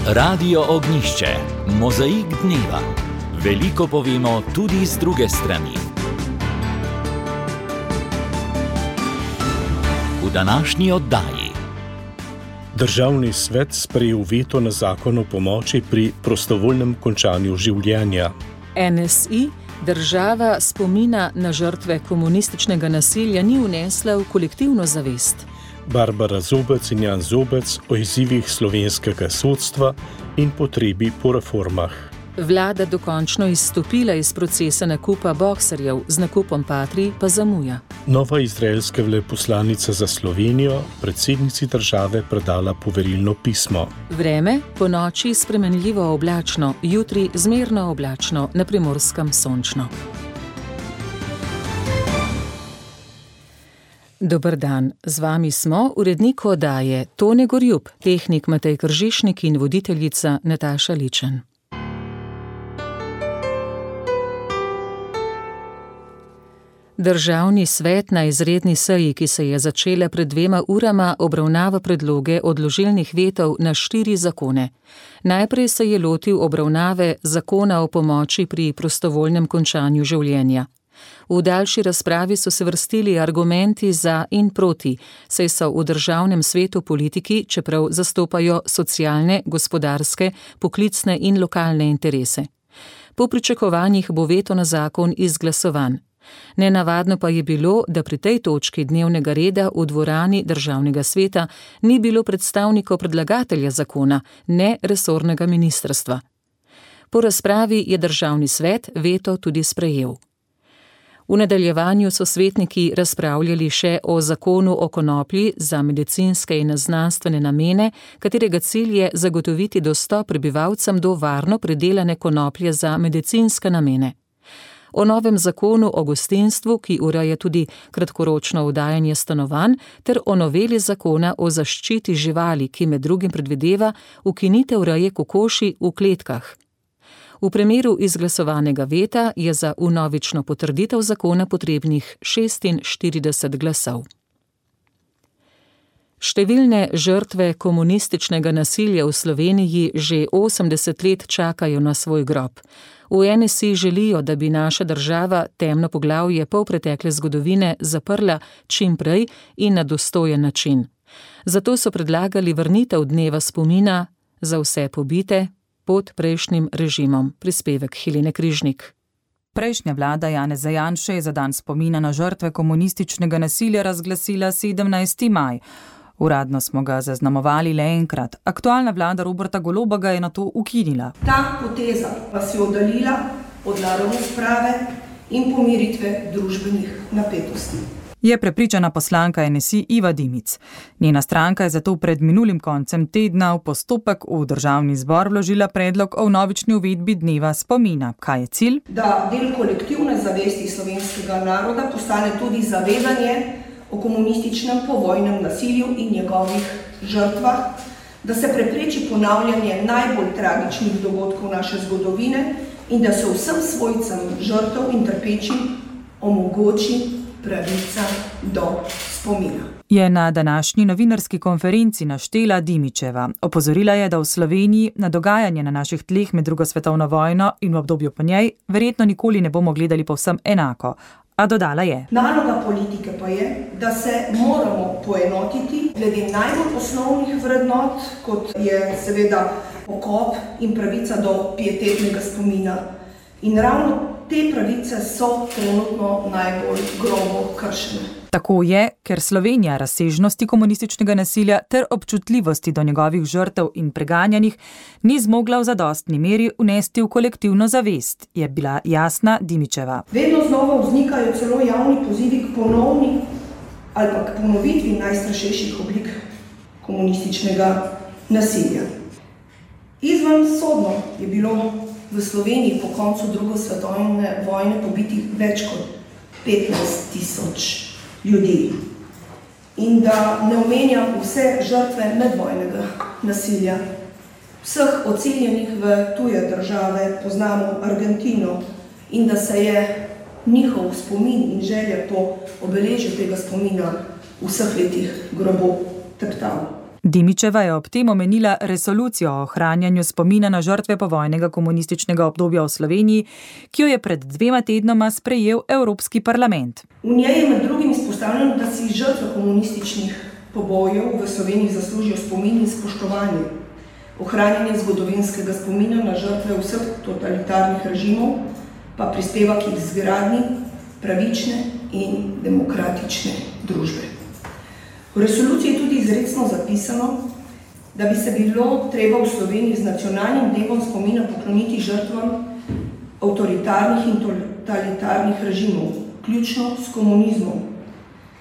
Radio Ognjišče, mozaik dneva. Veliko povemo tudi z druge strani. V današnji oddaji. Državni svet sprejel veto na zakon o pomoči pri prostovoljnem končanju življenja. NSI, država spomina na žrtve komunističnega nasilja, ni vnesla v kolektivno zavest. Barbara Zobec in Jan Zobec o izzivih slovenskega sodstva in potrebi po reformah. Vlada dokončno izstopila iz procesa nakupa boxerjev, z nakupom Patrij pa zamuja. Nova izraelska veleposlanica za Slovenijo predsednici države predala poverilno pismo. Vreme, ponoči spremenljivo oblačno, jutri zmerno oblačno, na Primorskem sončno. Dober dan, z vami smo, urednik oddaje Tone Gorjup, tehnik Matej Kržišnik in voditeljica Nataša Ličen. Državni svet na izredni seji, ki se je začela pred 2 urama, obravnava predloge odložilnih vetov na 4 zakone. Najprej se je lotil obravnave zakona o pomoči pri prostovoljnem končanju življenja. V daljši razpravi so se vrstili argumenti za in proti, saj so v državnem svetu politiki, čeprav zastopajo socialne, gospodarske, poklicne in lokalne interese. Po pričakovanjih bo veto na zakon izglasovan. Nenavadno pa je bilo, da pri tej točki dnevnega reda v dvorani državnega sveta ni bilo predstavnikov predlagatelja zakona, ne resornega ministrstva. Po razpravi je državni svet veto tudi sprejel. V nadaljevanju so svetniki razpravljali še o zakonu o konoplji za medicinske in znanstvene namene, katerega cilj je zagotoviti dostop prebivalcem do varno predelane konoplje za medicinske namene. O novem zakonu o gostinstvu, ki ureja tudi kratkoročno oddajanje stanovanj, ter o noveli zakona o zaščiti živali, ki med drugim predvideva ukinitev reje kokoši v kletkah. V primeru izglasovanega veta je za vnovično potrditev zakona potrebnih 46 glasov. Številne žrtve komunističnega nasilja v Sloveniji že 80 let čakajo na svoj grob. V NSI želijo, da bi naša država temno poglavje polpretekle zgodovine zaprla čim prej in na dostojen način. Zato so predlagali vrnitev dneva spomina za vse pobite pod prejšnjim režimom. Prispevek Helene Križnik. Prejšnja vlada Janeza Janše je za dan spomina na žrtve komunističnega nasilja razglasila 17. maj. Uradno smo ga zaznamovali le enkrat. Aktualna vlada Roberta Goloba ga je nato ukinila. Ta poteza pa se je oddaljila od naravne sprave in pomiritve družbenih napetosti. Je prepričana poslanka NSI Iva Dimic. Njena stranka je zato pred minulim koncem tedna v postopek v državni zbor vložila predlog o vnovični uvedbi dneva spomina. Kaj je cilj? Da del kolektivne zavesti slovenskega naroda postane tudi zavedanje o komunističnem povojnem nasilju in njegovih žrtvah, da se prepreči ponavljanje najbolj tragičnih dogodkov naše zgodovine in da se vsem svojcem žrtev in trpečim omogoči pravica do spomina. Je na današnji novinarski konferenci naštela Dimičeva. Opozorila je, da v Sloveniji na dogajanje na naših tleh med drugo svetovno vojno in v obdobju po njej verjetno nikoli ne bomo gledali povsem enako. A dodala je: Naloga politike pa je, da se moramo poenotiti glede najbolj osnovnih vrednot, kot je seveda pokop in pravica do pietetnega spomina. In ravno te pravice so trenutno najbolj grobo kršene. Tako je, ker Slovenija razsežnosti komunističnega nasilja ter občutljivosti do njegovih žrtev in preganjanih ni zmogla v zadostni meri vnesti v kolektivno zavest, je bila jasna Dimičeva. Vedno znova vznikajo celo javni pozivi k ponovni ali pa k ponovitvi najstrašnejših oblik komunističnega nasilja. Izvensodno je bilo v Sloveniji po koncu druge svetovne vojne pobitih več kot 15.000 ljudi. In da ne omenjam vse žrtve medvojnega nasilja. Vseh odseljenih v tuje države, poznamo Argentino, in da se je njihov spomin in želja po obeležju tega spomina v vseh letih grobo teptal. Dimičeva je ob tem omenila resolucijo o ohranjanju spomina na žrtve povojnega komunističnega obdobja v Sloveniji, ki jo je pred 2 tednoma sprejel Evropski parlament. V njej je med drugim izpostavljeno, da si žrtve komunističnih pobojev v Sloveniji zaslužijo spomin in spoštovanje, ohranjanje zgodovinskega spomina na žrtve vseh totalitarnih režimov pa prispeva k izgradnji pravične in demokratične družbe. V resoluciji je tudi izrecno zapisano, da bi se bilo treba v Sloveniji z nacionalnim dnevom spomina pokloniti žrtvam avtoritarnih in totalitarnih režimov, vključno s komunizmom,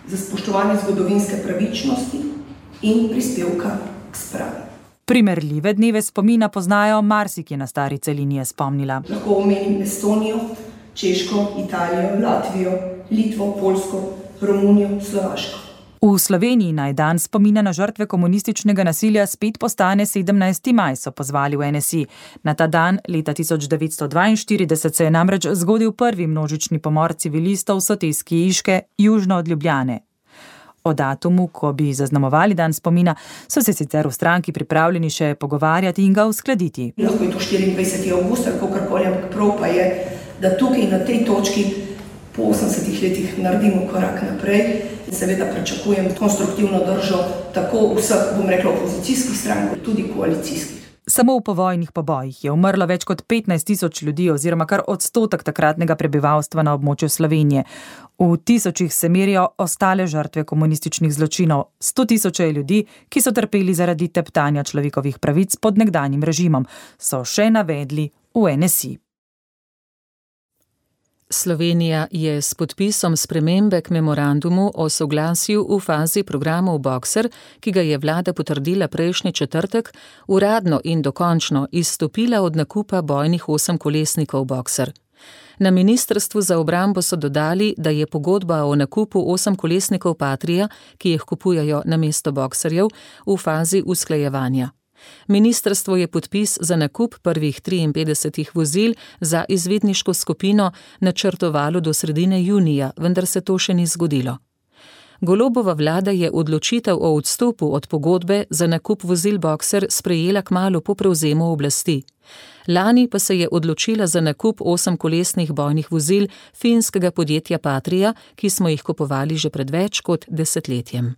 za spoštovanje zgodovinske pravičnosti in prispevka k spravi. Primerljive dneve spomina poznajo marsikje na stari celini, je spomnila. Lahko omenim Estonijo, Češko, Italijo, Latvijo, Litvo, Poljsko, Romunijo, Slovaško. V Sloveniji naj dan spomina na žrtve komunističnega nasilja spet postane 17. maj, so pozvali v NSI. Na ta dan leta 1942 se je namreč zgodil prvi množični pomor civilistov v soteski Iške, južno od Ljubljane. O datumu, ko bi zaznamovali dan spomina, so se sicer v stranki pripravljeni še pogovarjati in ga uskladiti. Lahko je to 24. avgust ali kakorkoli, ampak prav pa je, da tukaj na tej točki po 80 letih naredimo korak naprej in seveda pričakujem konstruktivno držo tako vseh, bom rekla, opozicijskih strank, tudi koalicijskih. Samo v povojnih pobojih je umrlo več kot 15.000 ljudi oziroma kar odstotek takratnega prebivalstva na območju Slovenije. V tisočih se merijo ostale žrtve komunističnih zločinov, 100.000 ljudi, ki so trpeli zaradi teptanja človekovih pravic pod nekdanjim režimom, so še navedli v NSI. Slovenija je s podpisom spremembe k memorandumu o soglasju v fazi programov Boxer, ki ga je vlada potrdila prejšnji četrtek, uradno in dokončno izstopila od nakupa bojnih 8-kolesnikov Boxer. Na Ministrstvu za obrambo so dodali, da je pogodba o nakupu 8-kolesnikov Patria, ki jih kupujejo namesto Boxerjev, v fazi usklajevanja. Ministrstvo je podpis za nakup prvih 53 vozil za izvedniško skupino načrtovalo do sredine junija, vendar se to še ni zgodilo. Golobova vlada je odločitev o odstopu od pogodbe za nakup vozil Boxer sprejela kmalu po prevzemu oblasti. Lani pa se je odločila za nakup 8-kolesnih bojnih vozil finskega podjetja Patria, ki smo jih kupovali že pred več kot desetletjem.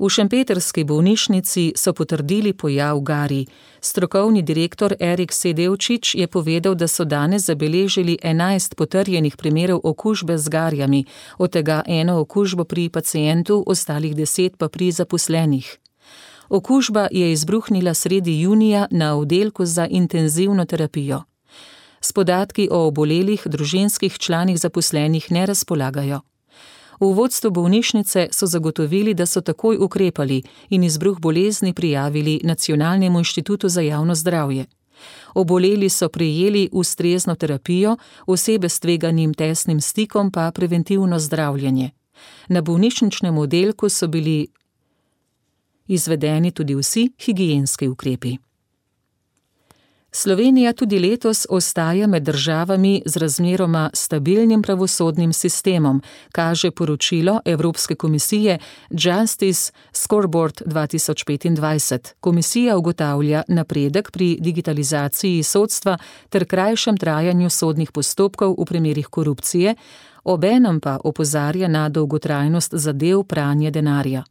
V šempetrski bolnišnici so potrdili pojav garij. Strokovni direktor Erik Sedevčič je povedal, da so danes zabeležili 11 potrjenih primerov okužbe z garjami, od tega 1 okužbo pri pacientu, ostalih 10 pa pri zaposlenih. Okužba je izbruhnila sredi junija na oddelku za intenzivno terapijo. S podatki o obolelih družinskih članih zaposlenih ne razpolagajo. V vodstvu bolnišnice so zagotovili, da so takoj ukrepali in izbruh bolezni prijavili Nacionalnemu inštitutu za javno zdravje. Oboleli so prejeli ustrezno terapijo, osebe s tveganim tesnim stikom pa preventivno zdravljenje. Na bolnišničnem oddelku so bili izvedeni tudi vsi higienski ukrepi. Slovenija tudi letos ostaja med državami z razmeroma stabilnim pravosodnim sistemom, kaže poročilo Evropske komisije Justice Scoreboard 2025. Komisija ugotavlja napredek pri digitalizaciji sodstva ter krajšem trajanju sodnih postopkov v primerih korupcije, obenem pa opozarja na dolgotrajnost zadev pranja denarja.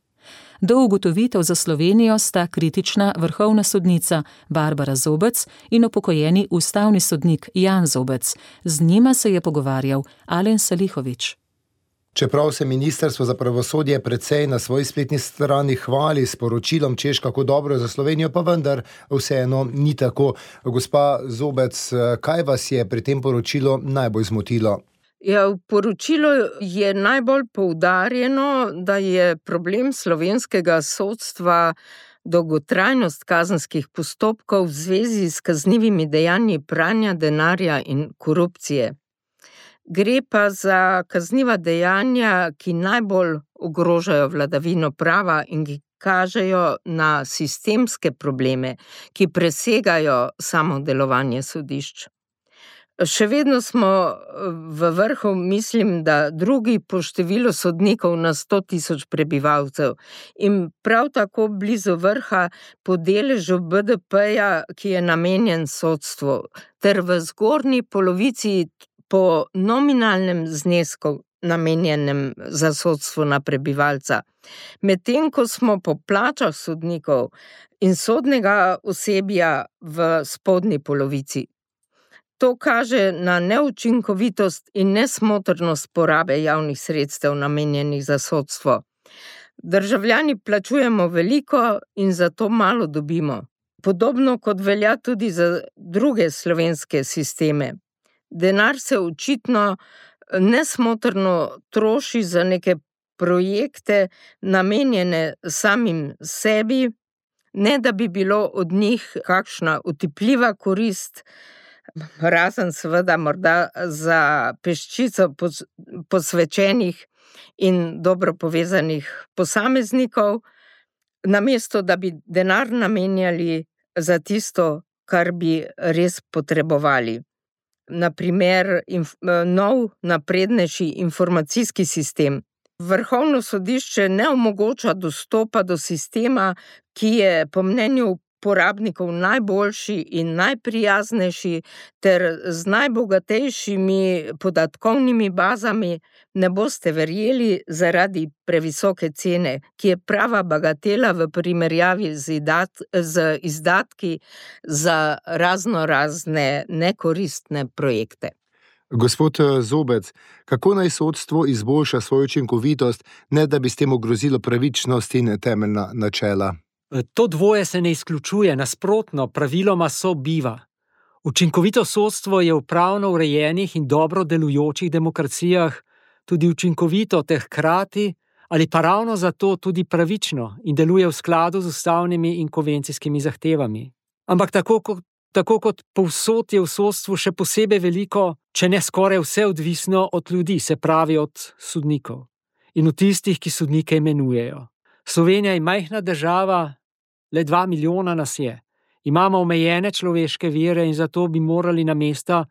Do ugotovitev za Slovenijo sta kritična vrhovna sodnica Barbara Zobec in upokojeni ustavni sodnik Jan Zobec. Z njima se je pogovarjal Alen Salihović. Čeprav se Ministrstvo za pravosodje precej na svoji spletni strani hvali s poročilom, češ kako dobro je za Slovenijo, pa vendar vseeno ni tako. Gospa Zobec, kaj vas je pri tem poročilu najbolj zmotilo? Ja, v poročilu je najbolj poudarjeno, da je problem slovenskega sodstva dolgotrajnost kazenskih postopkov v zvezi s kaznivimi dejanji pranja denarja in korupcije. Gre pa za kazniva dejanja, ki najbolj ogrožajo vladavino prava in ki kažejo na sistemske probleme, ki presegajo samo delovanje sodišč. Še vedno smo v vrhu, mislim, da drugi po številu sodnikov na 100.000 prebivalcev in prav tako blizu vrha po deležu BDP-ja, ki je namenjen sodstvu, ter v zgornji polovici po nominalnem znesku namenjenem za sodstvo na prebivalca. Medtem ko smo po plačah sodnikov in sodnega osebja v spodnji polovici. To kaže na neučinkovitost in nesmotrnost porabe javnih sredstev namenjenih za sodstvo. Državljani plačujemo veliko in zato malo dobimo. Podobno kot velja tudi za druge slovenske sisteme. Denar se očitno nesmotrno troši za neke projekte namenjene samim sebi, ne da bi bilo od njih kakšna otipljiva korist, razen seveda morda za peščico posvečenih in dobro povezanih posameznikov, namesto da bi denar namenjali za tisto, kar bi res potrebovali. Naprimer, nov naprednejši informacijski sistem. Vrhovno sodišče ne omogoča dostopa do sistema, ki je po mnenju porabnikov najboljši in najprijaznejši ter z najbogatejšimi podatkovnimi bazami, ne boste verjeli, zaradi previsoke cene, ki je prava bagatela v primerjavi z izdatki za razne nekoristne projekte. Gospod Zobec, kako naj sodstvo izboljša svojo učinkovitost, ne da bi s tem ogrozilo pravičnost in temeljna načela? To dvoje se ne izključuje, nasprotno, praviloma sobiva. Učinkovito sodstvo je v pravno urejenih in dobro delujočih demokracijah tudi učinkovito ter hkrati ali pa ravno zato tudi pravično in deluje v skladu z ustavnimi in konvencijskimi zahtevami. Ampak tako kot povsod je v sodstvu še posebej veliko, če ne skoraj vse odvisno od ljudi, se pravi od sodnikov in od tistih, ki sodnike imenujejo. Slovenija je majhna država, le 2 milijona nas je. Imamo omejene človeške vire in zato bi morali na mesta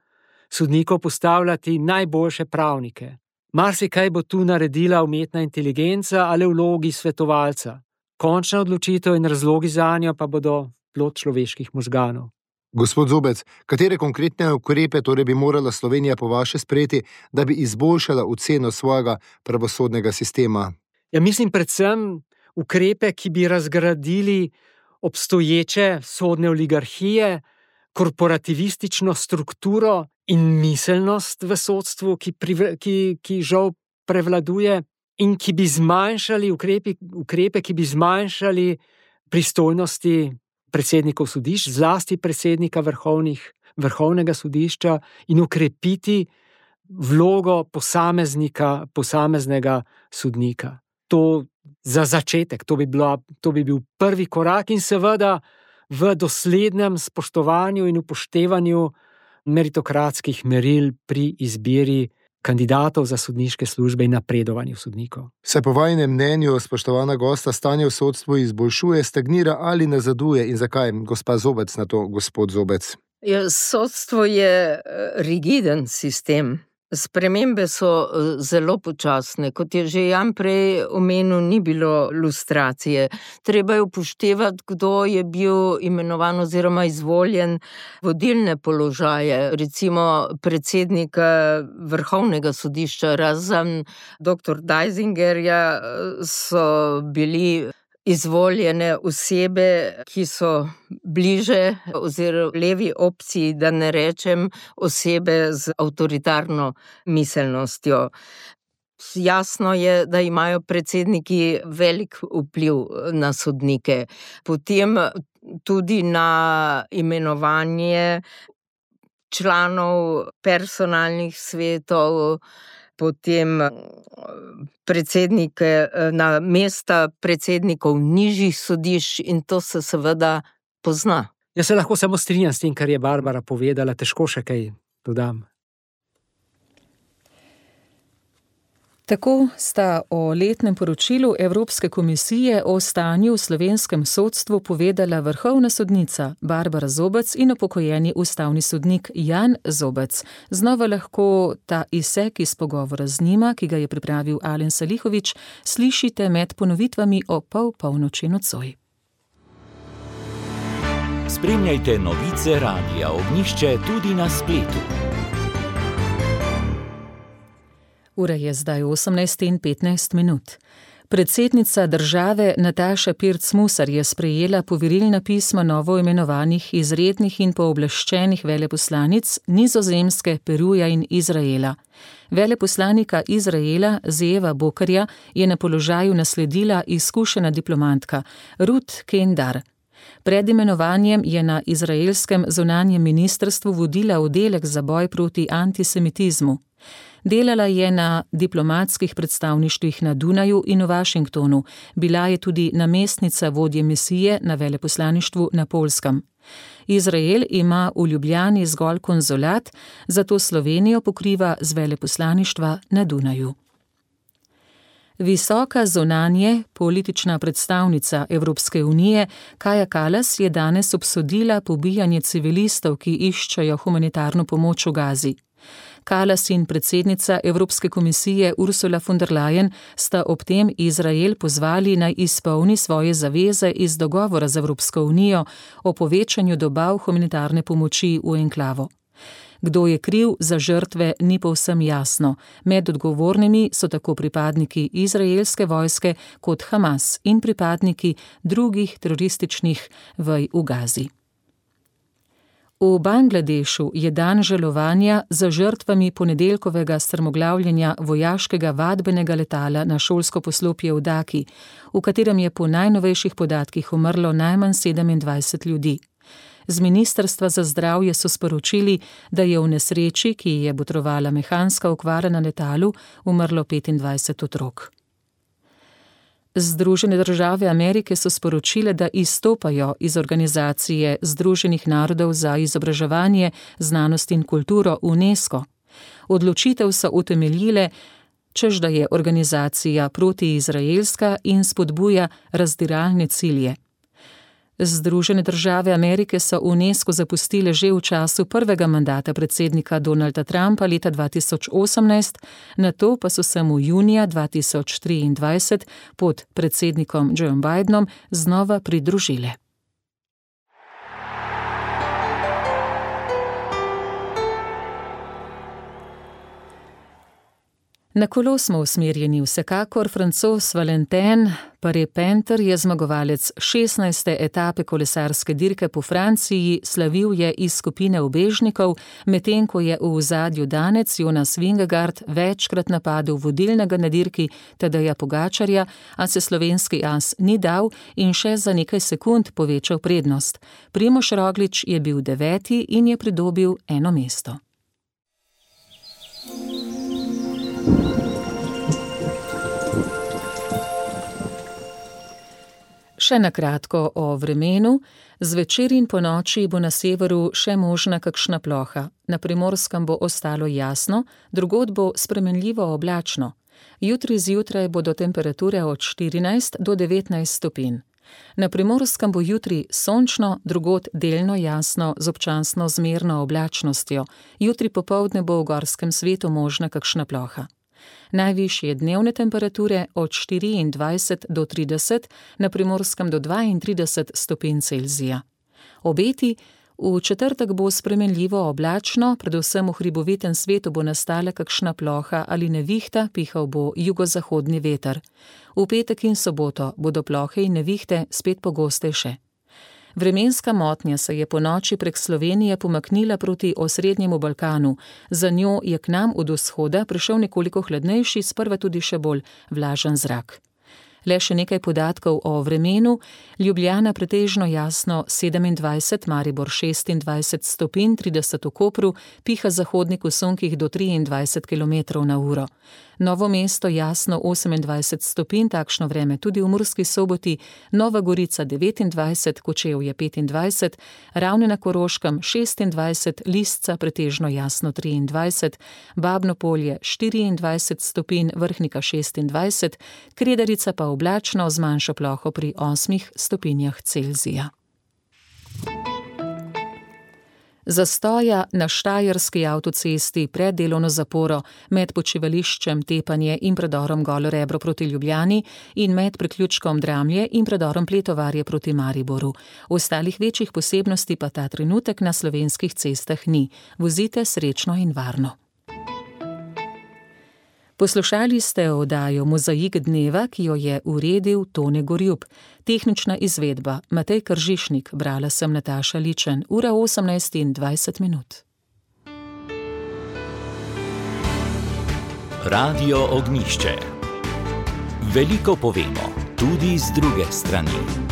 sodnikov postavljati najboljše pravnike. Marsikaj bo tu naredila umetna inteligenca ali vlogi svetovalca. Končna odločitev in razlogi zanjo pa bodo plod človeških možganov. Gospod Zobec, katere konkretne ukrepe torej bi morala Slovenija po vaše sprejeti, da bi izboljšala oceno svojega pravosodnega sistema? Ja, mislim predvsem ukrepe, ki bi razgradili obstoječe sodne oligarhije, korporativistično strukturo in miselnost v sodstvu, ki žal prevladuje in ki bi zmanjšali ukrepe, ki bi zmanjšali pristojnosti predsednikov sodišč, zlasti predsednika vrhovnega sodišča in ukrepiti vlogo posameznega sodnika. To za začetek, to bi bil prvi korak in seveda v doslednem spoštovanju in upoštevanju meritokratskih meril pri izbiri kandidatov za sodniške službe in napredovanju sodnikov. Se po vajinem mnenju, spoštovana gosta, stanje v sodstvu izboljšuje, stagnira ali nazaduje in zakaj? Gospa Zobec na to, gospod Zobec. Sodstvo je rigiden sistem. Spremembe so zelo počasne. Kot je že Jan prej omenil, ni bilo lustracije. Treba je upoštevati, kdo je bil imenovan oziroma izvoljen vodilne položaje. Recimo predsednik Vrhovnega sodišča, razen dr. Deisingerja, so bili izvoljene osebe, ki so bliže oziroma levi opciji, da ne rečem osebe z avtoritarno miselnostjo. Jasno je, da imajo predsedniki velik vpliv na sodnike. Potem tudi na imenovanje članov personalnih svetov, potem predsednike na mesta predsednikov nižjih sodišč in to se seveda pozna. Jaz se lahko samo strinjam s tem, kar je Barbara povedala, težko še kaj dodam. Tako sta o letnem poročilu Evropske komisije o stanju v slovenskem sodstvu povedala vrhovna sodnica Barbara Zobec in upokojeni ustavni sodnik Jan Zobec. Znova lahko ta izsek iz pogovora z njima, ki ga je pripravil Alen Salihović, slišite med ponovitvami o polnoči nocoj. Spremljajte novice Radia Ognjišče tudi na spletu. Ura je zdaj 18:15. Predsednica države Nataša Pirc Musar je sprejela poverilna pisma novoimenovanih izrednih in pooblaščenih veleposlanic Nizozemske, Peruja in Izraela. Veleposlanika Izraela Zeeva Bokarja je na položaju nasledila izkušena diplomatka Ruth Kendar. Pred imenovanjem je na izraelskem zunanjem ministrstvu vodila oddelek za boj proti antisemitizmu. Delala je na diplomatskih predstavništvih na Dunaju in v Washingtonu, bila je tudi namestnica vodje misije na veleposlaništvu na Poljskem. Izrael ima v Ljubljani zgolj konzulat, zato Slovenijo pokriva z veleposlaništva na Dunaju. Visoka zunanje politična predstavnica Evropske unije Kaja Kallas je danes obsodila pobijanje civilistov, ki iščejo humanitarno pomoč v Gazi. Kallas in predsednica Evropske komisije Ursula von der Leyen sta ob tem Izrael pozvali naj izpolni svoje zaveze iz dogovora z Evropsko unijo o povečanju dobav humanitarne pomoči v enklavo. Kdo je kriv za žrtve, ni povsem jasno. Med odgovornimi so tako pripadniki izraelske vojske kot Hamas in pripadniki drugih terorističnih vej v Gazi. V Bangladešu je dan žalovanja za žrtvami ponedeljkovega strmoglavljenja vojaškega vadbenega letala na šolsko poslopje v Daki, v katerem je po najnovejših podatkih umrlo najmanj 27 ljudi. Z Ministrstva za zdravje so sporočili, da je v nesreči, ki je botrovala mehanska okvara na letalu, umrlo 25 otrok. Združene države Amerike so sporočile, da izstopajo iz Organizacije Združenih narodov za izobraževanje, znanost in kulturo UNESCO. Odločitev so utemeljile, češ da je organizacija protiizraelska in spodbuja razdiralne cilje. Združene države Amerike so UNESCO zapustile že v času prvega mandata predsednika Donalda Trumpa leta 2018, nato pa so se mu junija 2023 pod predsednikom Joe Bidenom znova pridružile. Na kolo smo usmerjeni vsekakor. Francoz Valentin Paré-Penter je zmagovalec 16. etape kolesarske dirke po Franciji, slavil je iz skupine ubežnikov, medtem ko je v ozadju danec Jonas Vingegaard večkrat napadel vodilnega na dirki Tadeja Pogačarja, a se slovenski as ni dal in še za nekaj sekund povečal prednost. Primož Roglič je bil 9. in je pridobil 1 mesto. Še na kratko o vremenu. Zvečer in ponoči bo na severu še možna kakšna ploha. Na Primorskem bo ostalo jasno, drugod bo spremenljivo oblačno. Jutri zjutraj bodo temperature od 14 do 19 stopinj. Na Primorskem bo jutri sončno, drugod delno jasno z občasno zmerno oblačnostjo. Jutri popoldne bo v gorskem svetu možna kakšna ploha. Najvišje dnevne temperature od 24 do 30, na Primorskem do 32 stopinj Celzija. Obeti: v četrtek bo spremenljivo oblačno, predvsem v hribovitem svetu bo nastala kakšna ploha ali nevihta, pihal bo jugozahodni veter. V petek in soboto bodo plohe in nevihte spet pogostejše. Vremenska motnja se je po noči prek Slovenije pomaknila proti osrednjemu Balkanu. Za njo je k nam od vzhoda prišel nekoliko hladnejši, sprva tudi še bolj vlažen zrak. Le še nekaj podatkov o vremenu. Ljubljana pretežno jasno 27, Maribor 26 stopinj, 30 v Kopru, piha zahodnik v sunkih do 23 km/h. Novo mesto jasno 28 stopinj, takšno vreme tudi v Murski Soboti, Nova Gorica 29, Kočevje 25, Ravne na Koroškem 26, Lisca pretežno jasno 23, Babno Polje 24 stopinj, Vrhnika 26, Kredarica pa oblačno z manjšo ploho pri 8 stopinjah Celzija. Zastoja na Štajerski avtocesti pred delovno zaporo med počivališčem Tepanje in predorom Golo Rebro proti Ljubljani in med priključkom Dramlje in predorom Pletovarje proti Mariboru. Ostalih večjih posebnosti pa ta trenutek na slovenskih cestah ni. Vozite srečno in varno. Poslušali ste oddajo Mozaik dneva, ki jo je uredil Tone Gorjup. Tehnična izvedba Matej Kržišnik, brala sem Nataša Ličen, ura 18:20. Radio Ognjišče. Veliko povemo, tudi z druge strani.